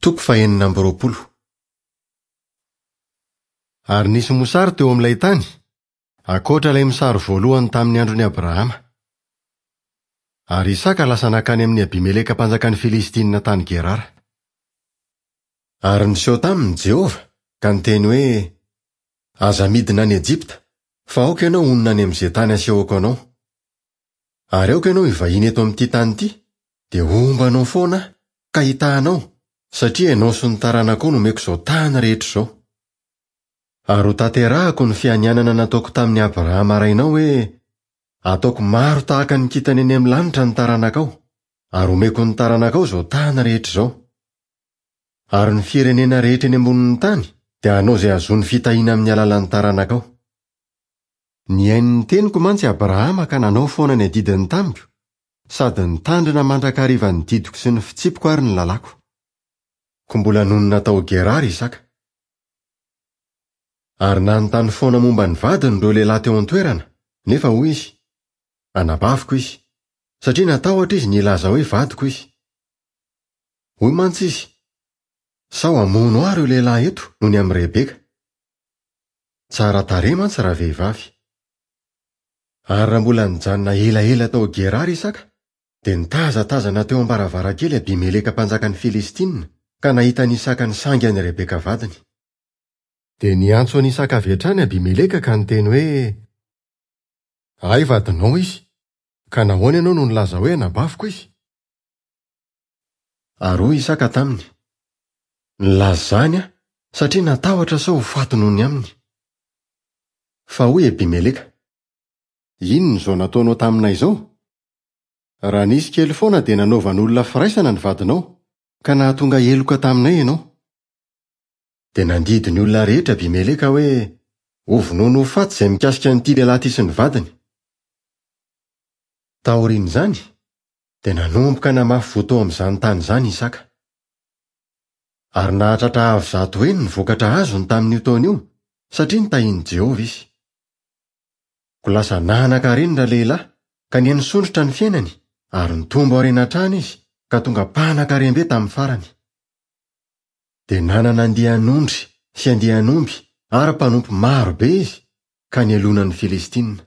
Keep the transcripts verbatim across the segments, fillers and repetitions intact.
Toko fahenina amby roapolo. Ary nisy mosary teo amin'ilay tany, ankoatra ilay mosary voalohany tamin'ny andron'i Abrahama. Ary Isaka lasa nankany amin'i Abimeleka mpanjakan'ny Filistinina tany Gerara. Ary niseho taminy Jehovah ka niteny hoe: Aza midina any Ejipta, fa aoka ianao honina any amin'izay tany asehoko anao. Ary aoka ianao hivahiny eto amin'ity tany ity, dia homba anao foana aho ka hitaha anao, satria ianao sy ny taranakao no omeko izao tany rehetra izao. Ary ho tanterahako ny fianianana nataoko tamin'i Abrahama rainao hoe: Ataoko maro tahaka ny kintana eny amin'ny lanitra ny taranakao, ary omeko ny taranakao izao tany rehetra izao. Ary ny firenena rehetra eny ambonin'ny tany dia hanao izay hahazoany fitahiana amin'ny alalan'ny taranakao. Nihaino ny teniko mantsy Abrahama ka nanao foana ny adidiny tamiko, sady nitandrina mandrakariva ny didiko sy ny fitsipiko ary ny lalàko. Koa mbola nonina tao Gerara Isaka. Ary nanontany foana momba ny vadiny ireo lehilahy teo an-toerana, nefa hoy izy: Anabaviko izy, satria natahotra izy ny hilaza hoe vadiko izy. Hoy mantsy izy: Sao hamono ahy ireo lehilahy eto noho ny amin'i Rebeka. Tsara tarehy mantsy ravehivavy. Ary raha mbola nijanona elaela tao Gerara Isaka, dia nitazatazana teo am-baravarankely Abimeleka mpanjakan'ny Filistinina ka nahita an'i Isaka nisangy an'i Rebeka vadiny. Dia niantso an'i Isaka avy hatrany Abimeleka ka niteny hoe: Ahy vadinao izy, ka nahoana ianao no nilaza hoe anabaviko izy? Ary hoy Isaka taminy: Nilaza izany aho satria natahotra sao ho faty noho ny aminy. Fa hoy Abimeleka: Inona izao nataonao taminay izao? Raha nisy kely foana dia nanaovan'olona firaisana ny vadinao, ka nahatonga heloka taminay ianao. Dia nandidy ny olona rehetra Abimeleka hoe: Hovonoina ho faty izay mikasika an'ity lehilahy ity sy ny vadiny. Taorian'izany, dia nanomboka namafy voa tao amin'izany tany izany Isaka. Ary nahatratra avo zato heny ny vokatra azony tamin'io taona io, satria nitahian'i Jehovah izy. Koa lasa nanan-karena ralehilahy, ka nihanisondrotra ny fiainany, ary nitombo harena hatrany izy, ka tonga mpanan-karem-be tamin'ny farany. Dia nanana andian'ondry sy andian'omby ary mpanompo maro be izy, ka nialona ny Filistinina.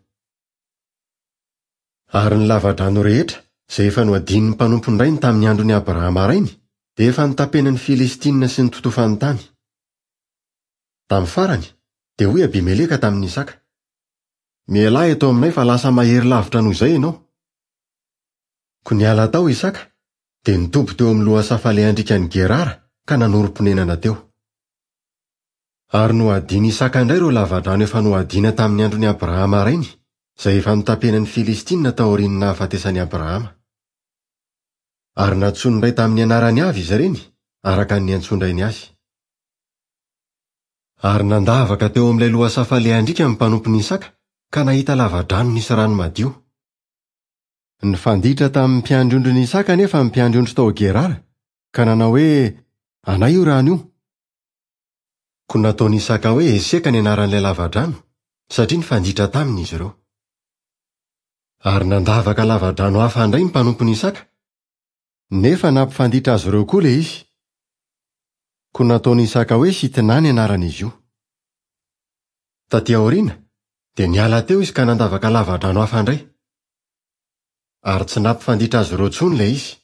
Ary ny lavadrano rehetra izay efa nohadinin'ny mpanompon'ny rainy tamin'ny andron'i Abrahama rainy, dia efa notapenan'ny Filistinina sy nototofany tany. Tamin'ny farany, dia hoy Abimeleka tamin'i Isaka: Mialà eto aminay fa lasa mahery lavitra noho izay ianao. Koa niala tao Isaka, dia nitoby teo amin'ny lohasaha falehan-driakan'i Gerara ka nanorim-ponenana teo. Ary nohadian'i Isaka indray ireo lavadrano efa nohadiana tamin'ny andron'i Abrahama rainy, izay efa notapenan'ny Filistinina taorian'ny nahafatesan'i Abrahama. Ary nantsoiny indray tamin'ny anarany avy izy ireny, araka ny niantsoan-drainy azy. Ary nandavaka teo amin'ilay lohasaha falehan-driaka ny mpanompon'i Isaka, ka nahita lavadrano nisy rano madio. Nifanditra tamin'ny mpiandry ondrin'i Isaka anefa ny mpiandry ondry tao Gerara, ka nanao hoe: Anay io rano io. Koa nataon'i Isaka hoe Eseka ny anaran'ilay lavadrano, satria nifanditra taminy izy ireo. Ary nandavaka lavadrano hafa indray ny mpanompon'i Isaka, nefa nampifanditra azy ireo koa ilay izy. Koa nataon'i Isaka hoe Sitna ny anaran'izy io. Taty aoriana, dia niala teo izy ka nandavaka lavadrano hafa indray. Ary tsy nampifanditra azy ireo intsony ilay izy.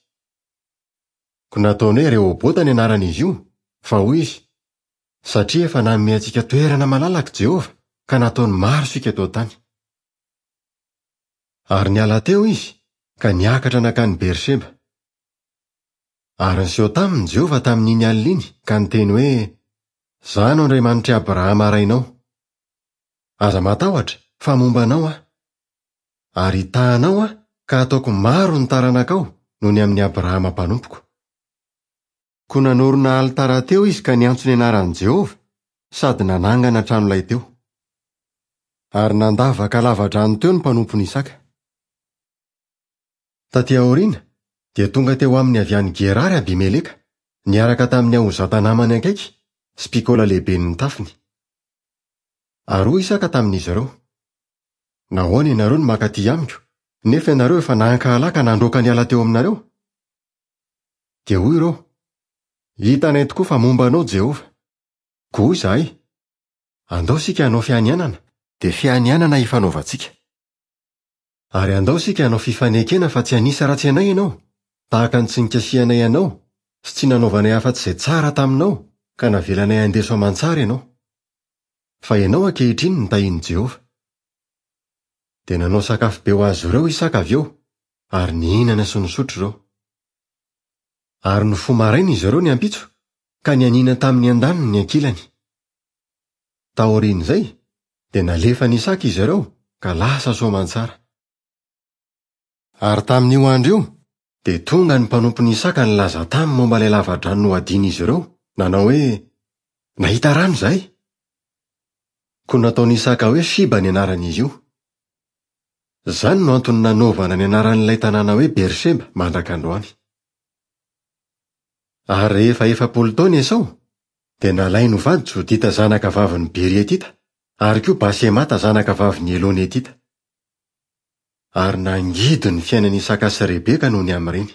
Koa nataony hoe Rehobota ny anaran'izy io, fa hoy izy: Satria efa nanome antsika toerana malalaka Jehovah, ka nataony maro isika eto an-tany. Ary niala teo izy, ka niakatra nankany Berseba. Ary niseho taminy Jehovah tamin'iny alina iny, ka niteny hoe: Izaho no Andriamanitr'i Abrahama rainao. Aza matahotra, fa momba anao aho. Ary hitaha anao aho, ka ataoko maro ny taranakao noho ny amin'i Abrahama mpanompoko. Koa nanorina alitara teo izy ka niantso ny anaran'i Jehovah, sady nanangana tranolay teo. Ary nandavaka lavadrano teo ny mpanompon'i Isaka. Taty aoriana, dia tonga teo aminy avy any Gerara Abimeleka, niaraka tamin'ny Ahozata namany akaiky sy Pikola lehiben'ny tafiny. Ary hoy Isaka tamin'izy ireo: Nahoana ianareo no mankaty amiko, nefa ianareo efa nankahala ka nandroaka niala teo aminareo? Dia hoy ireo: Hitanay tokoa fa momba anao Jehovah. Koa hoy izahay, Andao isika hanao fianianana, dia fianianana hifanaovantsika. Ary andao isika hanao fifanekena fa tsy hanisa ratsy anay ianao, tahaka ny tsy nikasihanay anao sy tsy nanaovanay afa-tsy izay tsara taminao ka navelanay handeha soamantsara ianao. Fa ianao ankehitriny no tahian'i Jehovah. Dia nanao sakafo be ho azy ireo Isaka avy eo, ary nihinana sy nisotro ireo. Ary nifoha maraina izy ireo ny ampitso, ka nianiana tamin'ny andaniny ny ankilany. Taorian'izay, dia nalefan'i Isaka izy ireo, ka lasa soamantsara. Ary tamin'io andro io, dia tonga ny mpanompon'i Isaka nilaza taminy momba ilay lavadrano nohadian'izy ireo, nanao hoe, Nahita rano izahay. Koa nataon'i Isaka hoe Shiba ny anaran'izy io. Izany no antony nanaovana ny anaran'ilay tanàna hoe Beersheba mandraka androany. Ary rehefa efapolo taona Esao, dia nalainy ho vady Jodita zanaka vavin'i Bery Hetita, ary koa Basemata zanaka vavin'i Elona Hetita. Ary nangidy ny fiainan'i Isaka sy Rebeka noho ny amin'ireny.